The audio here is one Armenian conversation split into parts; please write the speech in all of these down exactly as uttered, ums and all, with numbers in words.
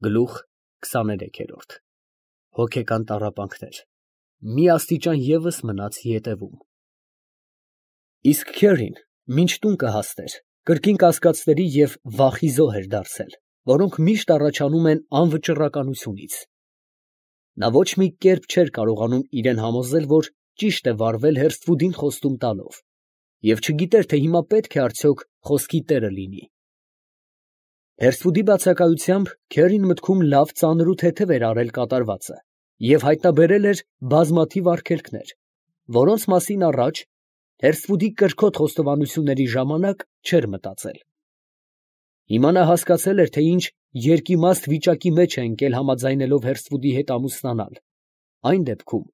Գլուխ քսաներեքերորդ Հոգեկան տառապանքներ, մի աստիճան ևս մնաց ետևում։ Իսկ Քերին մինչ տուն կհասներ, կրկին կասկածների և վախի զոհ էր դարձել, որոնք միշտ առաջանում են անվճռականությունից։ Նա ոչ մի կերպ չէր կարողանում իրան համոզել, որ ճիշտ է վարվել Հերսթվուդին խոստում տալով, և չգիտեր, թե հիմա պետք է արդյոք խոսքի տերը լինի։ Հերսթվուդի բացակայությամբ Քերին մտքում լավ ծանր ու թեթև էր արել կատարվածը և հայտնաբերել էր բազմաթիվ արգելքներ, որոնց մասին առաջ, Հերսթվուդի կրքոտ խոստովանությունների ժամանակ, չէր մտածել։ Հիմա նա հասկացել էր, թե ինչ երկիմաստ վիճակի մեջ է ընկել համաձայնելով Հերսթվուդի հետ ամուսնանալ, այն դեպքում,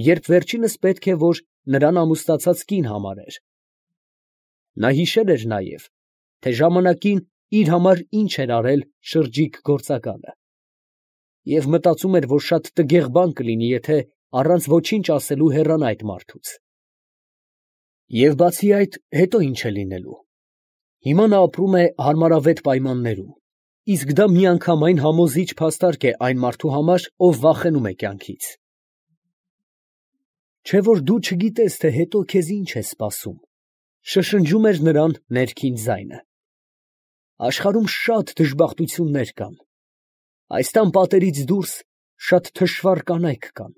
երբ վերջինս պետք է, որ նրան ամուսնացած կին համարեր։ Նա հիշել էր նաև, թե ժամանակին իր համար ինչ էր արել շրջիկ գործակալը, և մտածում էր, որ շատ տգեղ բան կլինի, եթե առանց ոչինչ ասելու հեռանա այդ մարդուց։ Եվ բացի այդ, հետո ինչ է լինելու։ Հիմա նա ապրում է հարմարավետ պայմաններում, իսկ դա միանգամայն համոզիչ փաստարկ է այն մարդու համար, ով վախենում է կյանքից։ Չէ՞ որ դու չգիտես, թե հետո քեզ ինչ է սպասում, շշնջում էր նրան ներքին ձայնը։ Աշխարհում շատ դժբախտություններ կան, այս տան պատերից դուրս շատ թշվառ կանայք կան,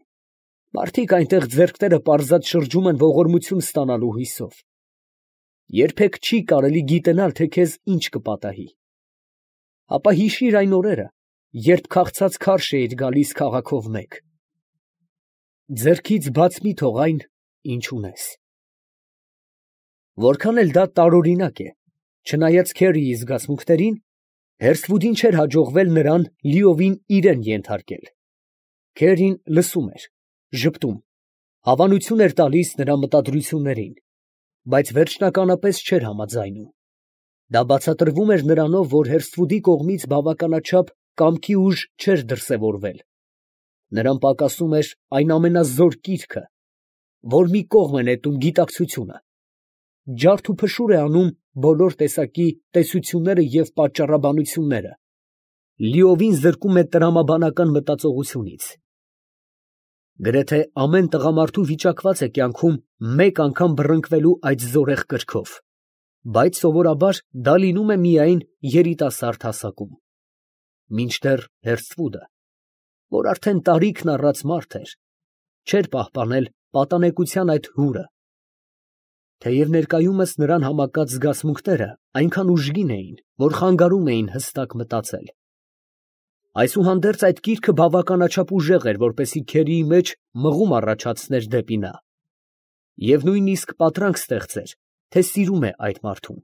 մարդիկ այնտեղ ձեռքները պարզած շրջում են ողորմություն ստանալու հույսով։ Երբեք չի կարելի գիտենալ, թե քեզ ինչ կպատահի։ Ապա հիշիր այն օրերը, երբ քաղցած քարշ էիր գալիս քաղաքով մեկ։ Ձեռքից բաց մի թող այն, ինչ ունես։ Որքան էլ դա տարօրինակ է, չնայած Քերիի զգացմունքներին, Հերսթվուդին չէր հաջողվել նրան լիովին իրան ենթարկել։ Քերին լսում էր, ժպտում, հավանություն էր տալիս նրա մտադրություններին, բայց վերջնականապես չէր համաձայնում։ Դա բացատրվում էր նրանով, որ Հերսթվուդի կողմից բավականաչափ կամքի ուժ չէր դրսևորվել։ Նրան պակասում էր այն ամենազոր կիրքը, որ մի կողմ է նետում գիտակցությունը, ջարդ ու փշուր է անում բոլոր տեսակի տեսությունները և պատճառաբանությունները, լիովին զրկում է տրամաբանական մտածողությունից։ Գրեթե ամեն տղամարդու վիճակված է կյանքում մեկ անգամ բռնկվելու այդ զորեղ կրքով, բայց սովորաբար դա լինում է միայն երիտասարդ հասակում։ Մինչդեռ Հերսթվուդը, որ արդեն տարիքն առած մարդ էր, չէր պահպանել պատանեկության այդ հուրը, թեև ներկայումս նրան համակած զգացմունքները այնքան ուժգին էին, որ խանգարում էին հստակ մտածել։ Այսուհանդերձ այդ կիրքը բավականաչափ ուժեղ էր, որպեսզի Քերիի մեջ մղում առաջացներ դեպի նա, և նույնիսկ պատրանք ստեղծեր, թե սիրում է այդ մարդուն։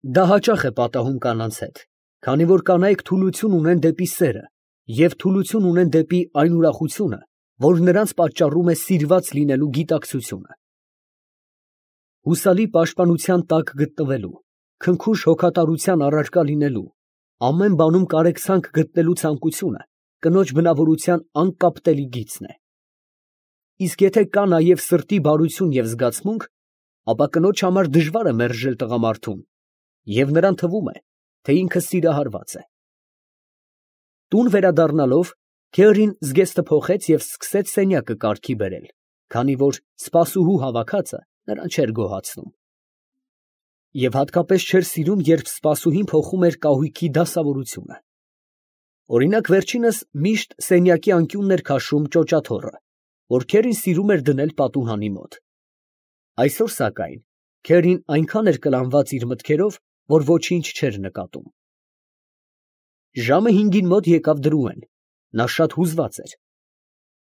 Դա հաճախ է պատահում կանանց հետ, քանի որ կանայք թուլություն ունեն դեպի սերը և թուլություն ունեն դեպի այն ուրախությունը, որ նրանց պատճառում է սիրված լինելու գիտակցությունը։ Հուսալի պաշտպանության տակ գտնվելու, քնքուշ հոգատարության առարկա լինելու, ամեն բանում կարեկցանք գտնելու ցանկությունը կնոջ բնավորության անկապտելի գիծն է։ Իսկ եթե կա նաև սրտի բարություն և զգացմունք, ապա կնոջ համար դժվար է մերժել տղամարդուն, և նրան թվում է, թե ինքը սիրահարված է։ Տուն վերադառնալով, Քերին զգեստը փոխեց և սկսեց սենյակը կարգի բերել, քանի որ սպասուհու հավաքածը նրան չէր գոհացնում։ Եվ հատկապես չէր սիրում, երբ սպասուհին փոխում էր կահույքի դասավորությունը։ Օրինակ, վերջինս միշտ սենյակի անկյունն էր քաշում ճոճաթոռը, որ Քերին սիրում էր դնել պատուհանի մոտ։ Այսօր, սակայն, Քերին այնքան էր կլանված իր մտքերով, որ ոչինչ չէր նկատում։ Ժամը հինգին մոտ եկավ Դրուեն, նա շատ հուզված էր։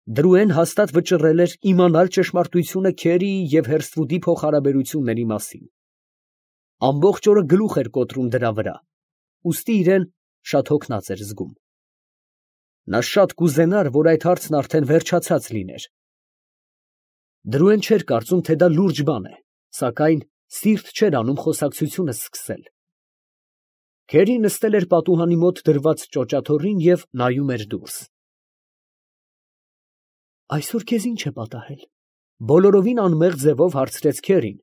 Դրուեն հաստատ վճռել էր իմանալ ճշմարտությունը Քերիի և Հերսթվուդի փոխհարաբերությունների մասին։ Ամբողջ օրը գլուխ էր կոտրում դրա վրա, ուստի իրան շատ հոգնած էր զգում։ Նա շատ կուզենար, որ այդ հարցն արդեն վերջացած լիներ։ Դրուեն չէր կարծում, թե դա լուրջ բան է, սակայն սիրտ չէր անում խոսակցությունը սկսել։ Քերին նստել էր պատուհանի մոտ դրված ճոճաթոռին և նայում էր դուրս։ Այսօր քեզ ի՞նչ է պատահել, ֊ բոլորովին անմեղ ձևով հարցրեց Քերին,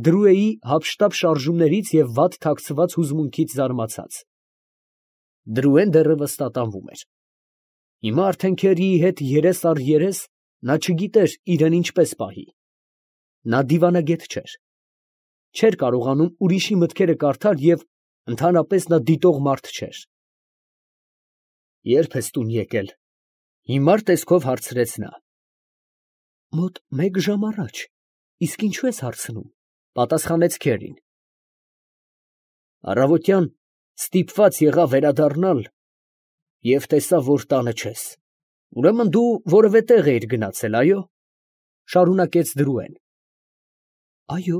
Դրուեի հափշտապ շարժումներից և վատ թաքցված հուզմունքից զարմացած։ Դրուեն դեռևս տատանվում էր։ Հիմա արդեն Քերիի հետ երես առ երես նա չգիտեր իրեն ինչպես պահի։ Նա դիվանագետ չէր։ Չէր կարողանում ուրիշի մտքերը կարդալ և ընդհանրապես նա դիտող մարդ չէր։ Ե՞րբ ես տուն եկել, ֊ հիմար տեսքով հարցրեց նա։ Մոտ մեկ ժամ առաջ, իսկ ինչու ես հարցնում, ֊ պատասխանեց Քերին։ Առավոտյան ստիպված եղա վերադառնալ և տեսա, որ տանը չես, ուրեմն դու որևէ տեղ էիր գնացել, այո, ֊ շարունակեց Դրուեն։ Այո,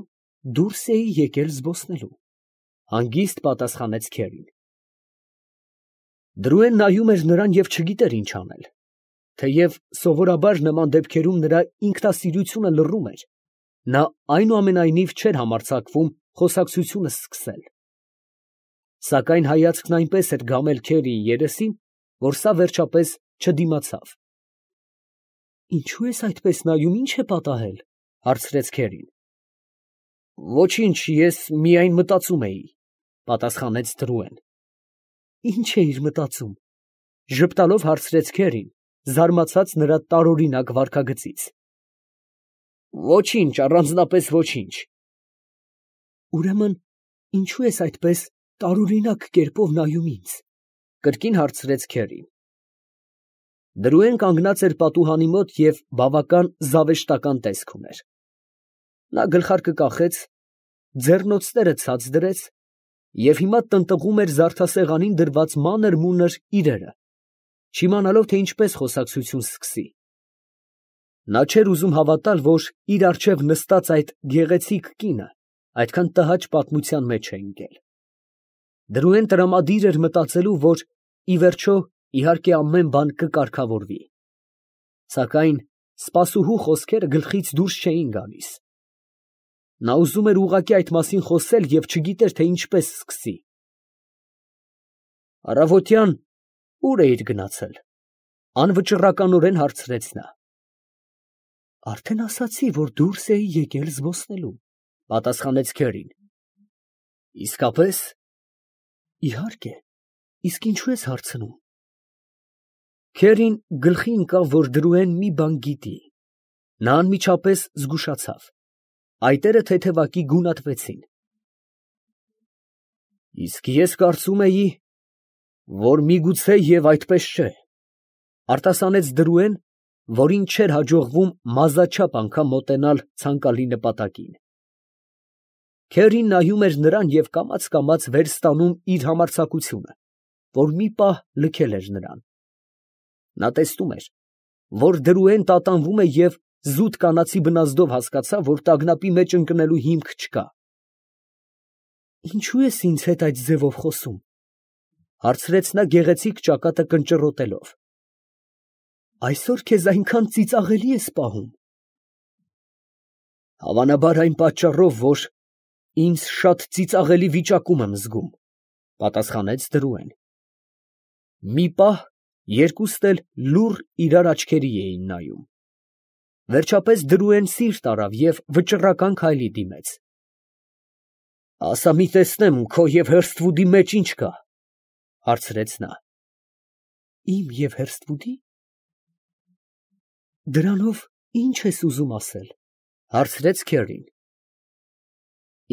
դուրս էի եկել զբոսնելու, ֊ հանգիստ պատասխանեց Քերին։ Դրուեն նայում էր նրան և չգիտեր ինչ անել, թեև սովորաբար նման դեպքերում նրա ինքնասիրությունը լռում էր, նա այնուամենայնիվ չէր համարձակվում խոսակցությունը սկսել։ Սակայն հայացքն այնպես էր գամել Քերիի երեսին, որ սա վերջապես չդիմացավ։ Ինչո՞ւ ես այդպես նայում, ի՞նչ է պատահել, ֊ հարցրեց Քերին։ Ոչինչ, ես միայն մտածում էի, ֊ պատասխանեց Դրուեն։ Ի՞նչ էիր մտածում, ֊ ժպտալով հարցրեց Քերին, զարմացած նրա տարօրինակ վարքագծից։ Ոչինչ, առանձնապես ոչինչ։ Ուրեմն ինչո՞ւ ես այդպես տարօրինակ կերպով նայում ինձ, ֊ կրկին հարցրեց Քերին։ Դրուեն կանգնած էր պատուհանի մոտ և բավական զավեշտական տեսք ուներ։ Նա գլխարկը կախեց, ձեռնոցները ցած դրեց և հիմա տնտղում էր զարդասեղանին դրված մանր֊մունր իրերը, չիմանալով, թե ինչպես խոսակցություն սկսի։ Նա չէր ուզում հավատալ, որ իր առջև նստած այդ գեղեցիկ կինը այդքան տհաճ պատմության մեջ է ընկել։ Դրուեն տրամադիր էր մտածելու, որ ի վերջո իհարկե ամեն բան կկարգավորվի։ Սակայն սպասուհու խոսքերը գլխից դուրս չէին գալիս։ Նա ուզում էր ուղղակի այդ մասին խոսել և չգիտեր, թե ինչպես սկսի։ Առավոտյան ո՞ւր էիր գնացել, ֊ անվճռականորեն հարցրեց նա։ Արդեն ասացի, որ դուրս էի եկել զբոսնելու, ֊ պատասխանեց Քերին։ Իսկապես։ Իհարկե, իսկ ինչու ես հարցնում։ Քերին գլխի ընկավ, որ Դրուեն մի բան գիտի։ Նա անմիջապես զգուշացավ։ Այտերը թեթևակի գունատվեցին։ Իսկ ես կարծում էի, որ միգուցե և այդպես չէ, ֊ արտասանեց Դրուեն, որին չէր հաջողվում մազաչափ անգամ մոտենալ ցանկալի նպատակին։ Քերին նայում էր նրան և կամաց֊կամաց վեր ստանում իր համարձակությունը, որ մի պահ լքել էր նրան։ Նա տեսնում էր, որ Դրուեն տատանվում է և զուտ կանացի բնազդով հասկացավ, որ տագնապի մեջ ընկնելու հիմք չկա։ Ինչո՞ւ ես ինձ հետ այդ ձևով խոսում, ֊ հարցրեց նա գեղեցիկ ճակատը կնճռոտելով։ Այսօր քեզ այնքան ծիծաղելի ես պահում։ Հավանաբար այն պատճառով, որ ինձ շատ ծիծաղելի վիճակում եմ զգում, ֊ պատասխանեց Դրուեն։ Մի պահ երկուստ էլ լուռ իրար աչքերի էին նայում։ Վերջապես Դրուեն սիրտ արավ և վճռական քայլի դիմեց։ Ասա մի տեսնեմ, քո և Հըրսթվուդի մեջ ինչ կա, ֊ հարցրեց նա։ Իմ և Հըրսթվուդի։ Դրանով ի՞նչ ես ուզում ասել, ֊ հարցրեց Քերին։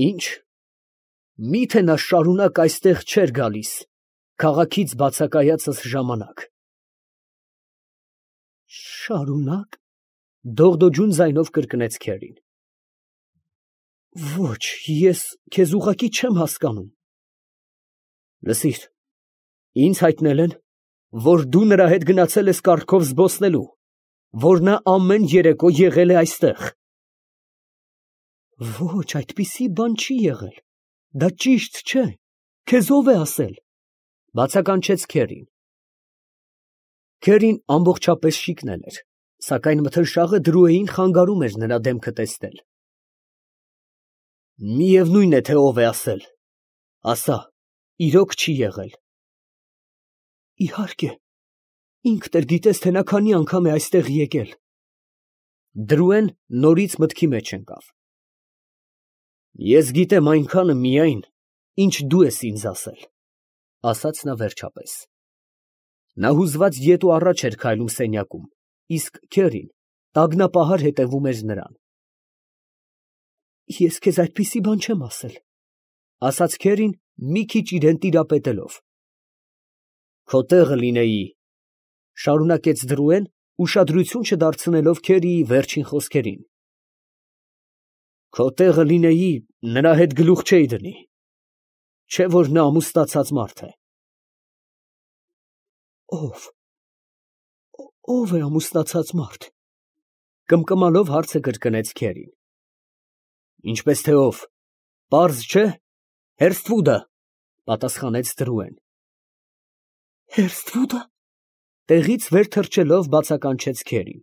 Ի՞նչ, միթե նա շարունակ այստեղ չէր գալիս քաղաքից բացակայածս ժամանակ։ Շարունակ, ֊ դողդոջուն ձայնով կրկնեց Քերին։ Ոչ, ես քեզ ուղղակի չեմ հասկանում։ Լսիր, ինձ հայտնել են, որ դու նրա հետ գնացել ես կառքով զբոսնելու, որ նա ամեն երեկո եղել է այստեղ։ Ոչ, այդպիսի բան չի եղել, դա ճիշտ չէ, քեզ ո՞վ է ասել, ֊ բացականչեց Քերին։ Քերին ամբողջապես շիկնել էր, սակայն մթնշաղը Դրուեին խանգարում էր նրա դեմքը տեսնել։ Միևնույն է, թե ով է ասել, ասա, իրոք չի եղել։ Իհարկե, ինքդ էլ գիտես, թե նա քանի անգամ է այստեղ եկել։ Դրուեն նորից մտքի մեջ ընկավ։ Ես գիտեմ այնքանը միայն, ինչ դու ես ինձ ասել։ ասաց նա վերջապես։ Նա հուզված ետ ու առաջ էր քայլում սենյակում, իսկ քերին տագնապահար հետևում էր նրան։ Ես քեզ այդպիսի բան չեմ ասել, ասաց քերին մի քիչ իրան տիրապետելով։ Քո տեղը լինեի, շարունակեց Դրուեն, ուշադրություն չդարձնելով քերիի վերջին խոսքերին։ Քո տեղը լինեի, նրա հետ գլուխ չէի դնի, չէ որ նա ամուսնացած մարդ է։ Ո՞վ, ո՞վ է ամուսնացած մարդ, կմկմալով հարցը կրկնեց քերին։ Ինչպես թե ով, պարզ չէ, Հերսթվուդը, պատասխանեց Դրուեն։ Հերսթվուդը, տեղից վեր թռչելով բացականչեց քերին։